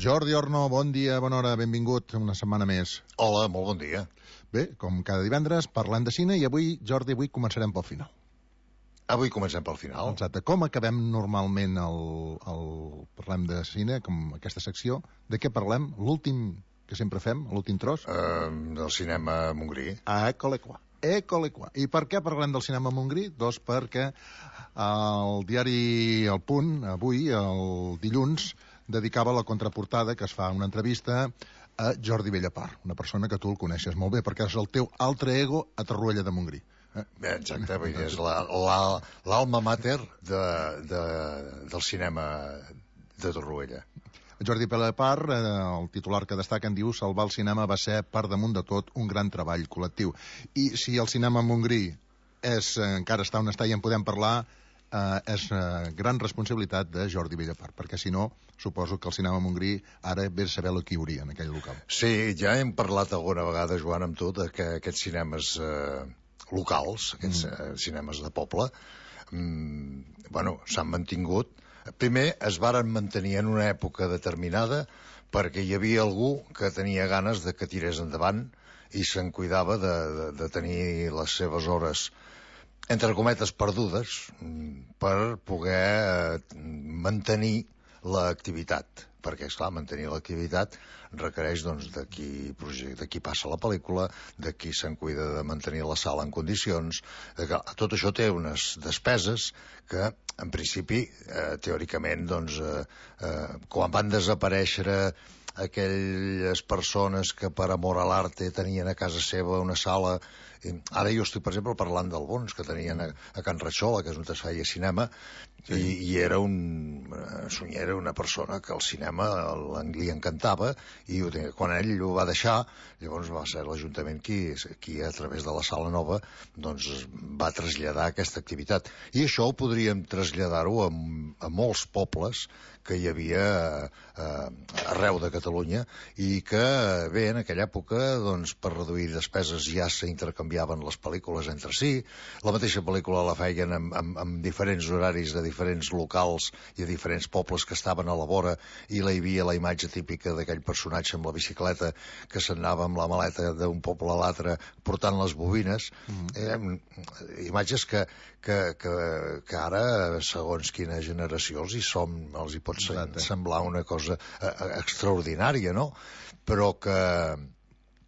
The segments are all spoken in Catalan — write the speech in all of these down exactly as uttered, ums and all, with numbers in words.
Jordi Orno, bon dia, bona hora, benvingut una setmana més. Hola, molt bon dia. Bé, com cada divendres, parlem de cine i avui, Jordi, avui començarem pel final. Avui comencem pel final. Exacte. Com acabem normalment el, el parlem de cine, com aquesta secció? De què parlem? L'últim que sempre fem, l'últim tros? Uh, del cinema Montgrí. Ah, ecole qua. Ecole qua. I per què parlem del cinema Montgrí? Doncs perquè el diari El Punt, avui, el dilluns, dedicava la contraportada que es fa una entrevista a Jordi Bellapar, una persona que tu el coneixes molt bé, perquè és el teu altre ego a Torroella de Montgrí. Eh? Bé, exacte, vull dir, és l'alma mater de, de, del cinema de Torroella. Jordi Bellapar, eh, el titular que destaca, en diu: salvar el cinema va ser, per damunt de tot, un gran treball col·lectiu. I si el cinema Montgrí és, eh, encara està on està i en podem parlar, Uh, és uh, gran responsabilitat de Jordi Bellapar, perquè si no, suposo que el cinema Montgrí ara ve a saber el que hi hauria en aquell local. Sí, ja hem parlat alguna vegada, Joan, amb tu, de que aquests cinemes eh, locals, aquests mm. eh, cinemes de poble, mm, bueno, s'han mantingut. Primer, es varen mantenir en una època determinada perquè hi havia algú que tenia ganes de que tirés endavant i se'n cuidava de, de, de tenir les seves hores entre cometes perdudes per poder mantenir l'activitat, perquè esclar, mantenir l'activitat requereix doncs de qui, de qui passa la pel·lícula, de qui se'n cuida de mantenir la sala en condicions, de que tot això té unes despeses que en principi eh, teòricament doncs eh, eh, quan van desaparèixer aquelles persones que per amor a l'arte tenien a casa seva una sala. Ara jo estic, per exemple, parlant del Bons, que tenien a, a Can Ratxola, que és on es feia cinema, sí. i, i era un era una persona que el cinema li encantava, i ho tenia. Quan ell ho va deixar, llavors va ser l'Ajuntament qui, qui a través de la Sala Nova doncs va traslladar aquesta activitat. I això ho podríem traslladar-ho a, a molts pobles que hi havia eh, arreu de Catalunya, i que, bé, en aquella època, doncs, per reduir despeses ja s'intercanviaven les pel·lícules entre si, la mateixa pel·lícula la feien amb, amb, amb diferents horaris de diferents locals i a diferents pobles que estaven a la vora, i la hi havia la imatge típica d'aquell personatge amb la bicicleta que s'anava amb la maleta d'un poble a l'altre portant les bobines. Mm. Eh, imatges que, que, que, que ara, segons quina generació els hi som, els hi pot semblar una cosa extraordinària, no? Però que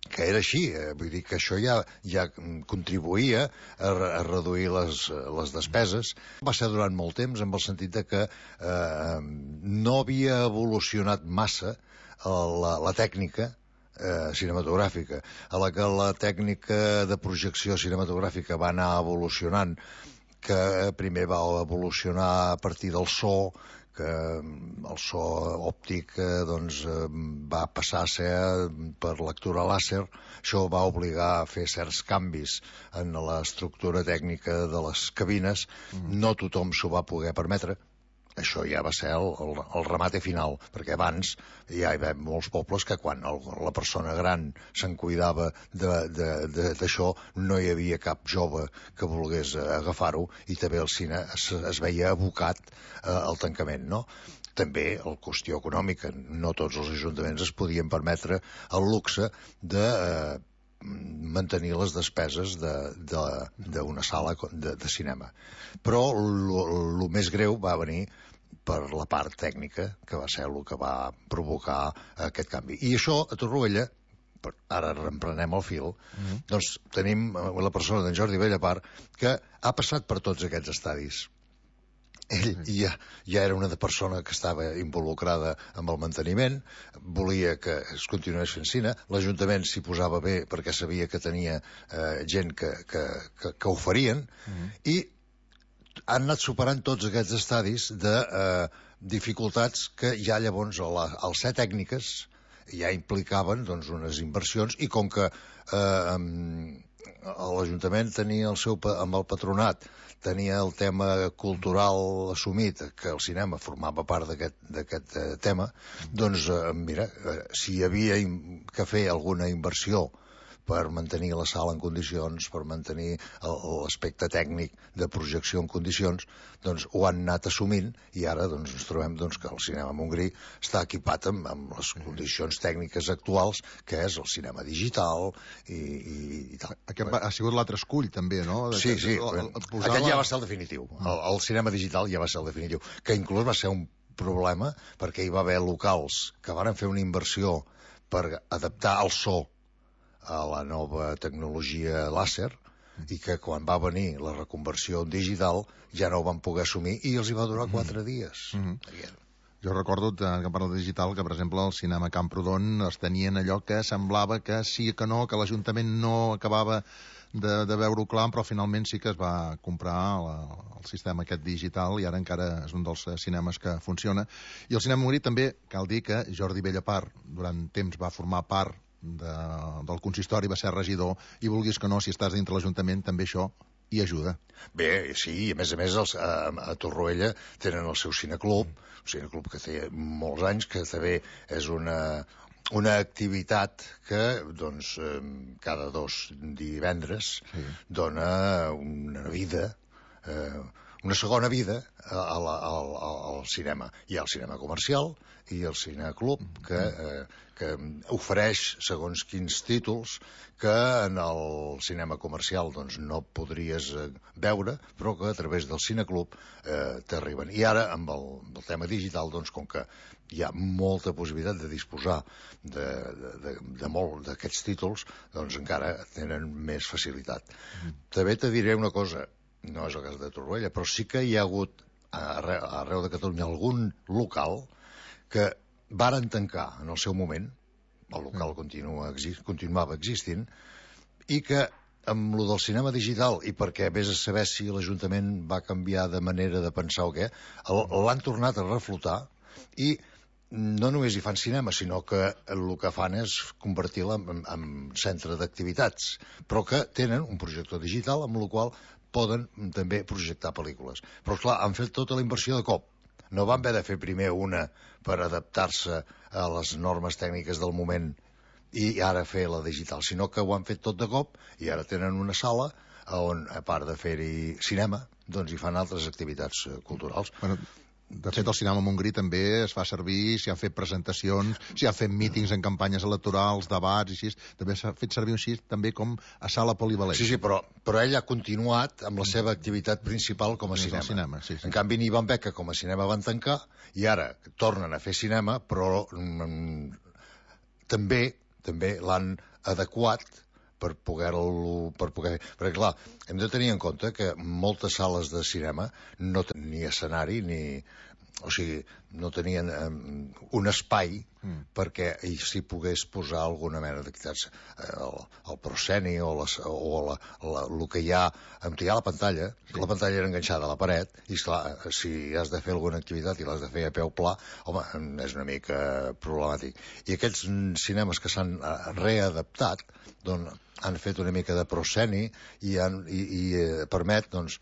que era així, eh? Vull dir que això ja, ja contribuïa a, a reduir les, les despeses. Va ser durant molt temps, en el sentit de que eh, no havia evolucionat massa la, la tècnica eh, cinematogràfica. A la que la tècnica de projecció cinematogràfica va anar evolucionant, que primer va evolucionar a partir del so, que el so òptic eh, doncs, eh, va passar a ser per lectura làser. Això va obligar a fer certs canvis en l'estructura tècnica de les cabines. Mm. No tothom s'ho va poder permetre. Això ja va ser el, el, el remate final, perquè abans ja hi havia molts pobles que quan el, la persona gran se'n cuidava d'això, no hi havia cap jove que volgués agafar-ho, i també el cine es, es veia abocat eh, al tancament, no? També la qüestió econòmica. No tots els ajuntaments es podien permetre el luxe de eh, mantenir les despeses d'una sala de, de cinema. Però el més greu va venir per la part tècnica, que va ser el que va provocar aquest canvi. I això a Torroella, ara reemprenem el fil, mm-hmm. doncs tenim la persona d'en Jordi Bellapar, que ha passat per tots aquests estadis. Ell ja, ja era una persona que estava involucrada amb el manteniment, volia que es continués fent cine, l'Ajuntament s'hi posava bé perquè sabia que tenia eh, gent que, que, que, que ho farien, mm-hmm. i han anat superant tots aquests estadis de eh, dificultats que ja llavors la, al ser tècniques ja implicaven doncs, unes inversions, i com que eh, l'Ajuntament tenia el seu, amb el patronat tenia el tema cultural assumit, que el cinema formava part d'aquest eh, tema, doncs eh, mira, eh, si hi havia que fer alguna inversió per mantenir la sala en condicions, per mantenir l'aspecte tècnic de projecció en condicions, doncs ho han anat assumint i ara doncs, ens trobem doncs, que el cinema Montgrí està equipat amb, amb les condicions tècniques actuals, que és el cinema digital i, i, i tal. Aquest va, ha sigut l'altre escull, també, no? De, sí, sí, el, el, el aquest la... ja va ser el definitiu. El, el cinema digital ja va ser el definitiu, que inclús va ser un problema perquè hi va haver locals que van fer una inversió per adaptar el so a la nova tecnologia làser i que quan va venir la reconversió digital ja no ho van poder assumir i els hi va durar quatre dies. Mm-hmm. Jo recordo, que parla de digital, que per exemple al cinema Camprodon es tenien allò que semblava que sí que no, que l'Ajuntament no acabava de, de veure-ho clar, però finalment sí que es va comprar la, el sistema aquest digital i ara encara és un dels cinemes que funciona. I el cinema Montgrí també, cal dir que Jordi Bellapart durant temps va formar part de, del consistori, va ser regidor, i vulguis que no, si estàs dintre l'Ajuntament també això hi ajuda. Bé, sí, a més a més els, a, a Torroella tenen el seu cineclub, un cineclub que té molts anys, que també és una, una activitat que doncs, cada dos divendres sí. dona una vida, eh, una segona vida a la, al, al cinema. Hi ha el cinema comercial i el cineclub que, eh, que ofereix segons quins títols que en el cinema comercial doncs, no podries veure, però que a través del cineclub eh, t'arriben. I ara, amb el, el tema digital, doncs, com que hi ha molta possibilitat de disposar de, de, de, de molt d'aquests títols, doncs encara tenen més facilitat. Mm. També te diré una cosa, no és el cas de Torroella, però sí que hi ha hagut arreu, arreu de Catalunya algun local que varen tancar en el seu moment, el local continua, continuava existint, i que amb lo del cinema digital, i perquè vés a saber si l'Ajuntament va canviar de manera de pensar o què, l'han tornat a reflotar i no només hi fan cinema, sinó que el que fan és convertir-la en, en centre d'activitats, però que tenen un projector digital amb el qual poden també projectar pel·lícules. Però, esclar, han fet tota la inversió de cop. No van haver de fer primer una per adaptar-se a les normes tècniques del moment i ara fer la digital, sinó que ho han fet tot de cop i ara tenen una sala on, a part de fer-hi cinema, doncs hi fan altres activitats culturals. Bueno, de fet, el cinema Montgrí també es fa servir, s'hi han fet presentacions, s'hi han fet mítings en campanyes electorals, debats i així, també s'ha fet servir així també com a sala polivalent. Sí, sí, però, però ell ha continuat amb la seva activitat principal com a cinema. cinema sí, sí. En canvi, Ivan Beca com a cinema van tancar i ara tornen a fer cinema, però mm, també també l'han adequat per poder-lo... Per poder... Perquè, clar, hem de tenir en compte que moltes sales de cinema no tenien ni escenari ni... O sigui, no tenien um, un espai mm. perquè s'hi pogués posar alguna mena d'activitats. El, el prosceni o, les, o la, la, el que hi ha... Hi ha la pantalla, sí. La pantalla era enganxada a la paret, i esclar, si has de fer alguna activitat i l'has de fer a peu pla, home, és una mica problemàtic. I aquests cinemes que s'han readaptat, doncs, han fet una mica de prosceni i, han, i, i eh, permet doncs,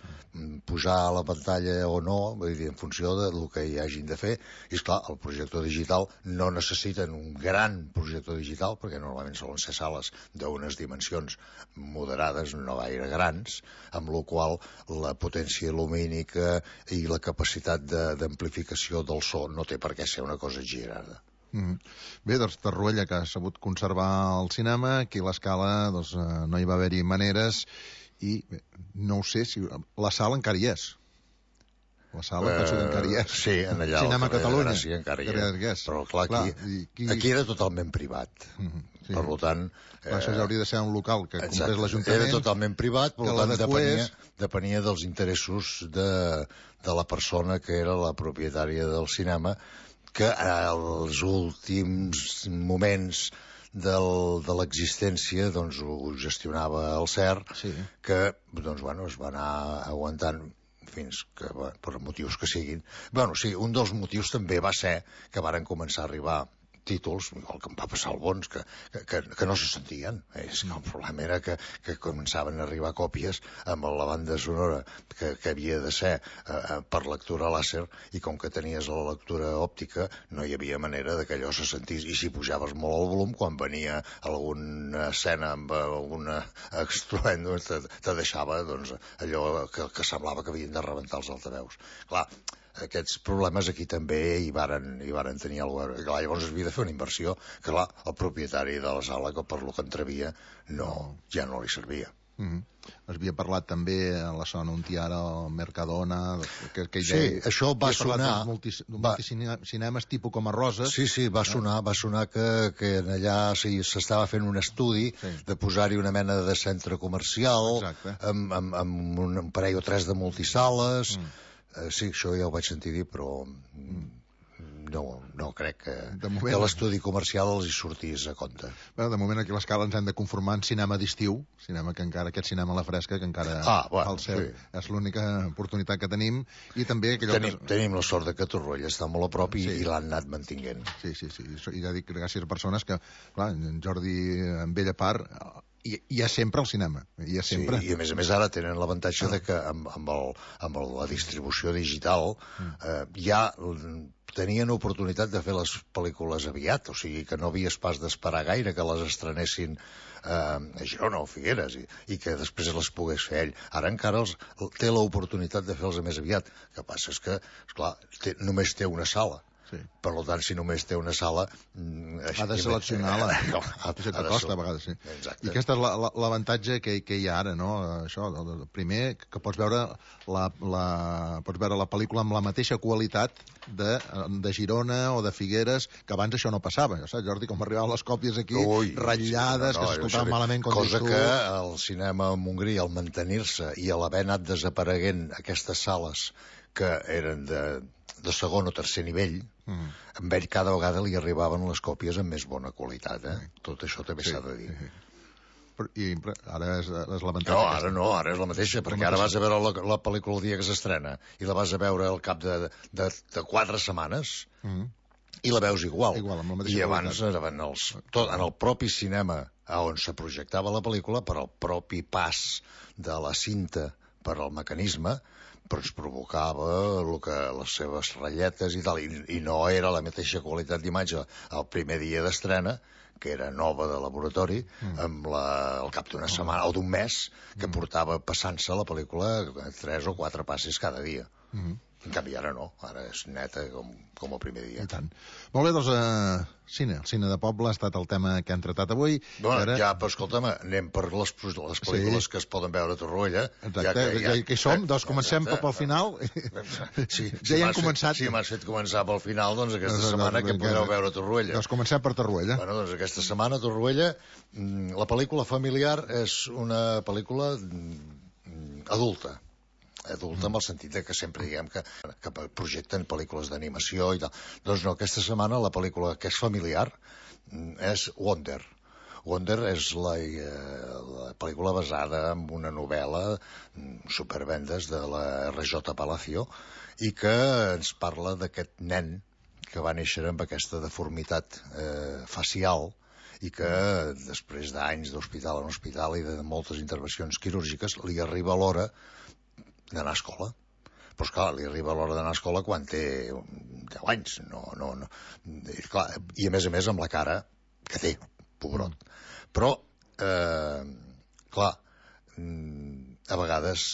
posar a la pantalla o no, vull dir, en funció del que hi hagin de fer. I esclar, el projector digital no necessiten un gran projector digital, perquè normalment solen ser sales d'unes dimensions moderades, no gaire grans, amb la qual la potència lumínica i la capacitat d'amplificació del so no té per què ser una cosa exagerada. Mm. Bé, doncs Torroella, que ha sabut conservar el cinema, aquí a l'Escala doncs, eh, no hi va haver-hi maneres i bé, no ho sé si la sala encara hi és. La sala uh, penso que encara hi és. Sí, en allà Cinema Catalunya sí, encara hi és. Però clar, aquí, clar, aquí... aquí era totalment privat. Mm-hmm, sí. Per tant... Eh, això ja hauria de ser un local que comprés l'Ajuntament. Era totalment privat, per tant depenia, depenia dels interessos de, de la persona que era la propietària del cinema, que als últims moments del, de l'existència doncs, ho gestionava el C E R, sí. Que doncs, bueno, es va anar aguantant fins que, bueno, per motius que siguin. Bueno, sí, un dels motius també va ser que varen començar a arribar títols, igual que em va passar al Bons, que, que, que no se sentien. És que el problema era que, que començaven a arribar còpies amb la banda sonora que, que havia de ser eh, per lectura làser, i com que tenies la lectura òptica no hi havia manera de que allò se sentís, i si pujaves molt el volum, quan venia alguna escena amb alguna estruendo te, te deixava doncs, allò que, que semblava que havien de rebentar els altaveus. Clar, aquests problemes aquí també hi varen, hi varen tenir el govern. Clar, llavors es havia de fer una inversió que, clar, el propietari de la sala, que per lo que entrevia, no, ja no li servia. Mm -hmm. Es havia parlat també a la zona on hi ara el Mercadona, que, que sí, deia, això va sonar multi, multicinemes va, tipus com a Roses. Sí, sí, va sonar, va sonar que, que allà s'estava sí, fent un estudi sí. de posar-hi una mena de centre comercial amb, amb, amb un parell o tres de multisales. mm. Uh, sí, això ja ho vaig sentir dir, però mm. no, no crec que, moment, que l'estudi comercial els hi sortís a compte. Bueno, de moment aquí a l'escala ens hem de conformar en cinema d'estiu, cinema que encara, aquest cinema a la fresca, que encara ah, bueno, al cel, sí. és l'única oportunitat que tenim, i també... Tenim, que... tenim la sort de que Torroella està molt a prop i, sí. i l'han anat mantinguent. Sí, sí, sí, i ja dic gràcies a persones que, clar, en Jordi, en bella part... Hi, hi ha sempre el cinema, hi ha sempre. Sí, i a més a més ara tenen l'avantatge ah. de que amb, amb, el, amb el, la distribució digital mm. eh, ja tenien oportunitat de fer les pel·lícules aviat, o sigui que no havies pas d'esperar gaire que les estrenessin eh, a Girona o Figueres i, i que després les pogués fer ell. Ara encara els, té l'oportunitat de fer-los més aviat. El que passa és que, esclar, té, només té una sala. Sí. Per tant, si només té una sala... Ha de seleccionar la... No, ha, això que costa a vegades, sí. Exacte. I aquest és l'avantatge que, que hi ha ara, no? Això, el primer, que pots veure la, la, pots veure la pel·lícula amb la mateixa qualitat de, de Girona o de Figueres, que abans això no passava. Ja saps, Jordi, com arribaven les còpies aquí, Ui, ratllades, no, no, que s'escoltaven malament... Cosa que el cinema a Montgrí, al mantenir-se i a l'haver anat desapareguent aquestes sales que eren de... de segon o tercer nivell, mm. amb ell cada vegada li arribaven les còpies amb més bona qualitat, eh? Tot això també s'ha sí, de dir. Sí. Però, I ara és, és l'avantatge... No, ara no, ara és la mateixa, perquè la mateixa. Ara vas a veure la, la pel·lícula el dia que s'estrena i la vas a veure al cap de, de, de quatre setmanes mm. i la veus igual. igual I abans eren els, tot, en el propi cinema on se projectava la pel·lícula, per al propi pas de la cinta per al mecanisme, però ens provocava el que, les seves ratlletes i tal, i, i no era la mateixa qualitat d'imatge el primer dia d'estrena, que era nova de laboratori, mm. amb la, al cap d'una setmana o d'un mes, que mm. portava passant-se la pel·lícula tres o quatre passes cada dia. Mm. En canvi, ara no, ara és neta com, com el primer dia. I tant. Molt bé, doncs, uh, cine. El cine de poble ha estat el tema que hem tratat avui. Bueno, ara... ja, però escolta'm, anem per les, les pel·lícules sí. que es poden veure a Torroella. Exacte, ja que, ja, ja que hi som, eh, doncs comencem exacte. Pel final. Sí, ja si hi hem començat. Fet, si m'has fet començar pel final, doncs aquesta doncs, setmana doncs, que podeu veure a Torroella. Doncs comencem per Torroella. Bueno, doncs aquesta setmana a Torroella, la pel·lícula familiar és una pel·lícula adulta. adulta, amb el sentit de que sempre diguem que, que projecten pel·lícules d'animació i tal. Doncs no, aquesta setmana la pel·lícula que és familiar és Wonder. Wonder és la, la pel·lícula basada en una novel·la supervendes de la erre jota Palacio i que ens parla d'aquest nen que va néixer amb aquesta deformitat eh, facial i que després d'anys d'hospital en hospital i de moltes intervencions quirúrgiques li arriba l'hora d'anar a escola. Però, esclar, li arriba l'hora d'anar a escola quan té deu anys. No, no, no. I, clar, i a més a més amb la cara que té, pobrot. Però, eh, clar, a vegades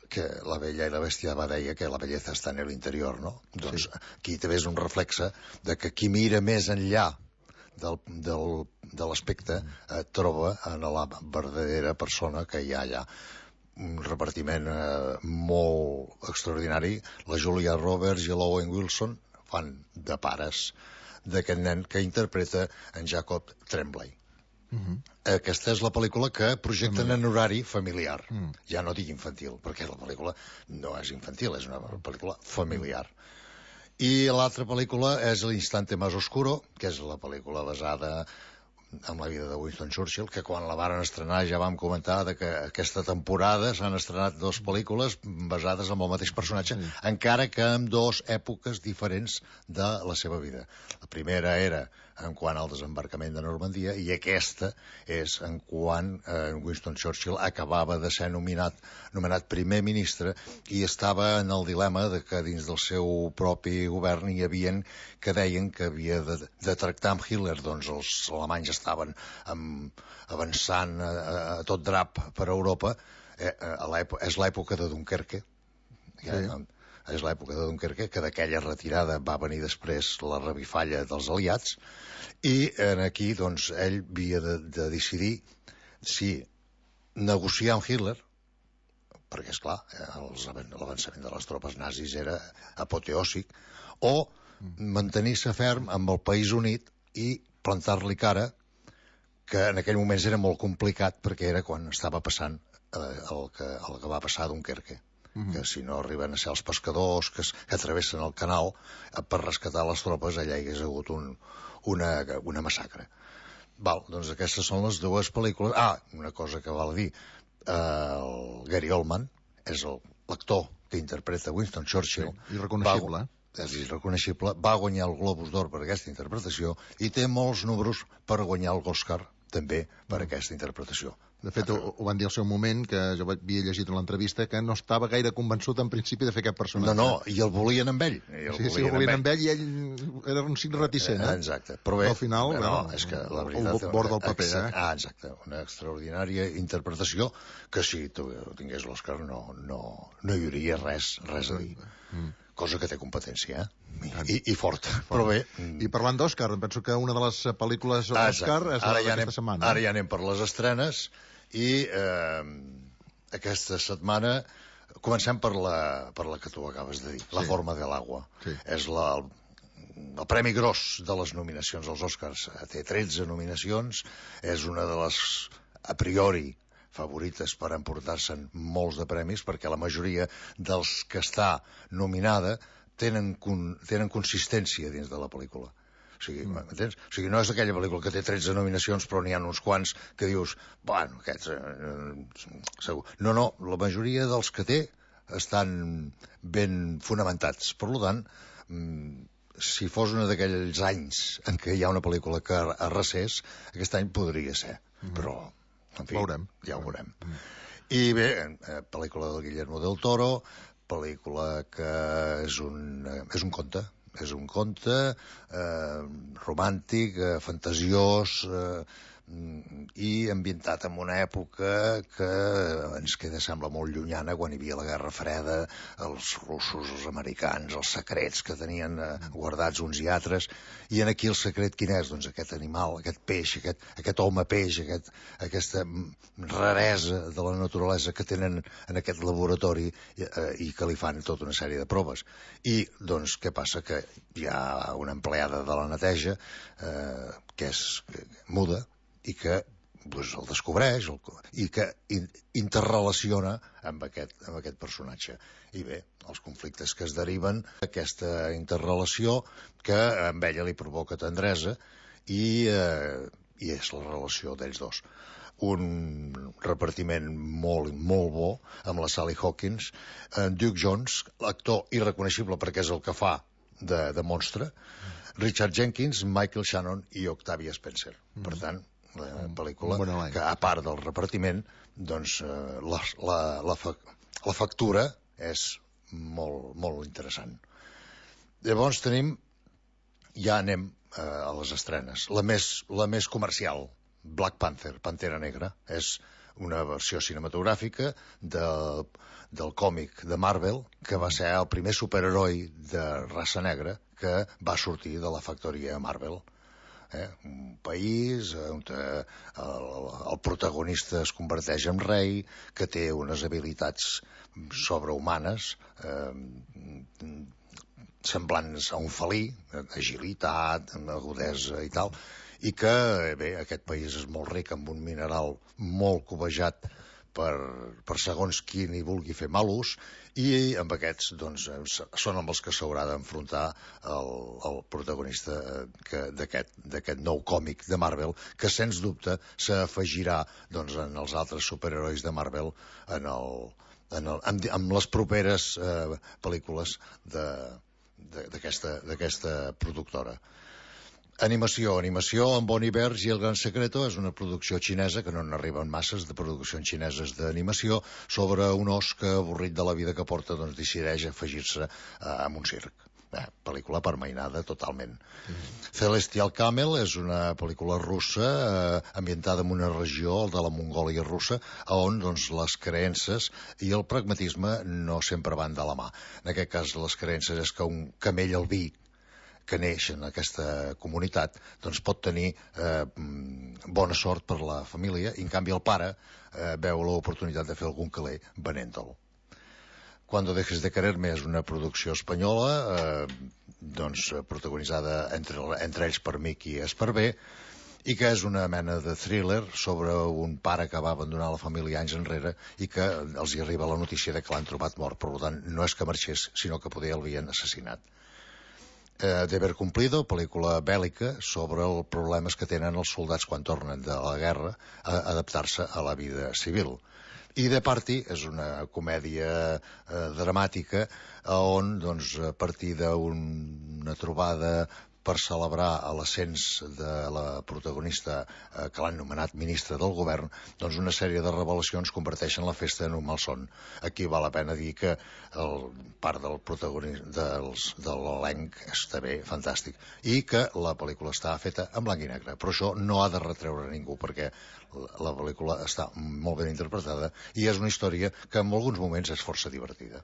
que la bella i la bèstia va deia que la bellesa està en l'interior, no? Doncs sí. Aquí també és un reflexe de que qui mira més enllà del, del, de l'aspecte eh, troba en la verdadera persona que hi ha allà. Un repartiment eh, molt extraordinari. La Julia Roberts i l'Owen Wilson fan de pares d'aquest nen que interpreta en Jacob Tremblay. Uh-huh. Aquesta és la pel·lícula que projecten en horari familiar. Uh-huh. Ja no dic infantil, perquè la pel·lícula no és infantil, és una pel·lícula familiar. I l'altra pel·lícula és L'Instante Más Oscuro, que és la pel·lícula basada amb la vida de Winston Churchill, que quan la varen estrenar ja vam comentar de que aquesta temporada s'han estrenat dues pel·lícules basades en el mateix personatge, sí. encara que en dues èpoques diferents de la seva vida. La primera era en quant al desembarcament de Normandia i aquesta és en quan eh, Winston Churchill acabava de ser nominat, nomenat primer ministre i estava en el dilema de que dins del seu propi govern hi havia que deien que havia de, de tractar amb Hitler. Doncs els alemanys estaven amb, avançant a, a tot drap per Europa. Eh, a és l'època de Dunkerque. Sí. Ja, és l'època de Dunkerque, que d'aquella retirada va venir després la revifalla dels aliats, i en aquí doncs, ell havia de, de decidir si negociar amb Hitler, perquè, esclar, l'avançament de les tropes nazis era apoteòsic, o mantenir-se ferm amb el País Unit i plantar-li cara, que en aquell moments era molt complicat perquè era quan estava passant eh, el, que, el que va passar a Dunkerque. Uh-huh. Que si no arriben a ser els pescadors que, es, que travessen el canal eh, per rescatar les tropes, allà hi hagués hagut un, una, una massacre. Val, doncs aquestes són les dues pel·lícules. Ah, una cosa que val dir, eh, el Gary Oldman és l'actor que interpreta Winston Churchill. Sí, irreconeixible. Va, és irreconeixible, va guanyar el Globus d'Or per aquesta interpretació i té molts números per guanyar l'Oscar també per uh-huh. aquesta interpretació. De fet, ho, ho van dir al seu moment, que jo havia llegit en l'entrevista, que no estava gaire convençut en principi de fer aquest personatge. No, no, i el volien amb ell. I el sí, sí, el volien amb ell i ell era un xic reticent, eh? Exacte. Però bé, al final, no, no, és que la veritat... El bord del paper, eh? Ah, exacte. Una extraordinària interpretació que si tu tingués l'Òscar no, no, no hi hauria res, res a dir. Mm. Cosa que té competència, eh? I, i forta. Però bé... I parlant d'Òscar, penso que una de les pel·lícules d'Òscar és la d'aquesta anem, setmana. Ara ja anem per les estrenes i eh, aquesta setmana comencem per la, per la que tu acabes de dir, sí. La forma de l'agua. Sí. És la, el, el premi gros de les nominacions als Oscars. Té tretze nominacions, és una de les, a priori, favorites per emportar-se'n molts de premis, perquè la majoria dels que està nominada tenen, con, tenen consistència dins de la pel·lícula. O sigui, m'entens? O sigui, no és aquella pel·lícula que té tretze nominacions, però n'hi ha uns quants que dius, bueno, aquests... Eh, segur. No, no, la majoria dels que té estan ben fonamentats. Per tant, si fos un d'aquells anys en què hi ha una pel·lícula que arrasés, aquest any podria ser, però... En fi, veurem. Ja ho veurem. Mm. I bé, eh, pel·lícula del Guillermo del Toro, pel·lícula que és un, eh, és un conte, és un conte eh, romàntic, eh, fantasiós, eh, i ambientat en una època que ens queda, sembla, molt llunyana, quan hi havia la Guerra Freda, els russos, els americans, els secrets que tenien eh, guardats uns i altres, i en aquí el secret quin és? Doncs aquest animal, aquest peix, aquest, aquest home peix, aquest, aquesta raresa de la naturalesa que tenen en aquest laboratori eh, i que li fan tota una sèrie de proves. I, doncs, què passa? Que hi ha una empleada de la neteja eh, que és que, muda, i que pues, el descobreix el, i que in, interrelaciona amb aquest, amb aquest personatge. I bé, els conflictes que es deriven d'aquesta interrelació que a ella li provoca tendresa i, eh, i és la relació d'ells dos. Un repartiment molt, molt bo amb la Sally Hawkins, en Duke Jones, l'actor irreconeixible perquè és el que fa de, de monstre, Richard Jenkins, Michael Shannon i Octavia Spencer. Mm. Per tant, la pel·lícula que, a part del repartiment, doncs la, la, la, fa, la factura és molt, molt interessant. Llavors tenim, ja anem eh, a les estrenes. La més, la més comercial, Black Panther, Pantera Negra, és una versió cinematogràfica de, del còmic de Marvel, que va ser el primer superheroi de raça negra que va sortir de la factoria Marvel. Eh? Un país on el, el protagonista es converteix en rei, que té unes habilitats sobrehumanes, eh, semblants a un felí, agilitat, agudesa i tal, i que, bé, aquest país és molt ric amb un mineral molt cobejat per, per segons qui n'hi vulgui fer mal ús, i amb aquests doncs, són amb els que s'haurà d'enfrontar el, el protagonista d'aquest nou còmic de Marvel, que sens dubte s'afegirà doncs, en els altres superherois de Marvel en el, en el, en, en les properes eh, pel·lícules d'aquesta productora. Animació. Animació amb Bon Iverge i El Gran Secreto és una producció xinesa, que no n'arriben masses de produccions xineses d'animació, sobre un os que, avorrit de la vida que porta, doncs decideix afegir-se a un circ. Eh, pel·lícula permainada totalment. Mm. Celestial Camel és una pel·lícula russa eh, ambientada en una regió, el de la Mongòlia russa, on doncs, les creences i el pragmatisme no sempre van de la mà. En aquest cas, les creences és que un camell albí que neix en aquesta comunitat doncs pot tenir eh, bona sort per la família, i en canvi el pare eh, veu l'oportunitat de fer algun caler venent-lo. Cuando dejes de quererme és una producció espanyola, eh, doncs protagonitzada entre, entre ells per Mickey Esparvé, i que és una mena de thriller sobre un pare que va abandonar la família anys enrere i que els hi arriba la notícia de que l'han trobat mort. Per tant, no és que marxés, sinó que poder el havien assassinat. Eh, Deber Cumplido, pel·lícula bèl·lica sobre els problemes que tenen els soldats quan tornen de la guerra a adaptar-se a la vida civil. I The Party és una comèdia eh, dramàtica on, doncs, a partir d'una trobada per celebrar l'ascens de la protagonista eh, que l'han nomenat ministra del govern, doncs una sèrie de revelacions converteixen la festa en un malson. Aquí val la pena dir que el part del protagonista de l'elenc està bé, fantàstic, i que la pel·lícula està feta en blanc i negre, però això no ha de retreure a ningú, perquè la pel·lícula està molt ben interpretada i és una història que en alguns moments és força divertida.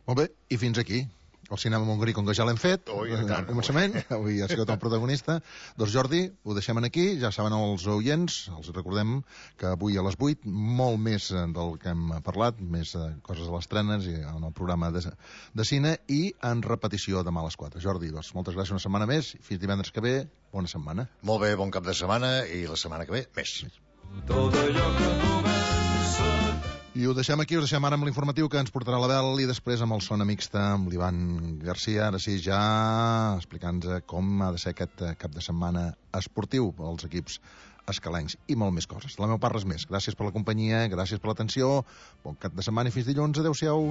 Molt bé, i fins aquí el cinema mongrí, com que ja l'hem fet Ui, al començament, avui ha sigut el protagonista. Doncs Jordi, ho deixem aquí, ja saben els oients, els recordem que avui a les vuit, molt més del que hem parlat, més coses a les trenes i en el programa de, de cine, i en repetició demà a les quatre. Jordi, doncs moltes gràcies una setmana més, fins divendres que ve, bona setmana. Molt bé, bon cap de setmana, i la setmana que ve, més. Tot allò que comença. I ho deixem aquí, ho deixem ara amb l'informatiu que ens portarà l'Abel, i després amb el Sona Mixta, amb l'Ivan Garcia, ara sí, ja explicant-nos com ha de ser aquest cap de setmana esportiu pels equips escalencs i molt més coses. De la meva part, res més. Gràcies per la companyia, gràcies per l'atenció, bon cap de setmana i fins dilluns. Adéu-siau.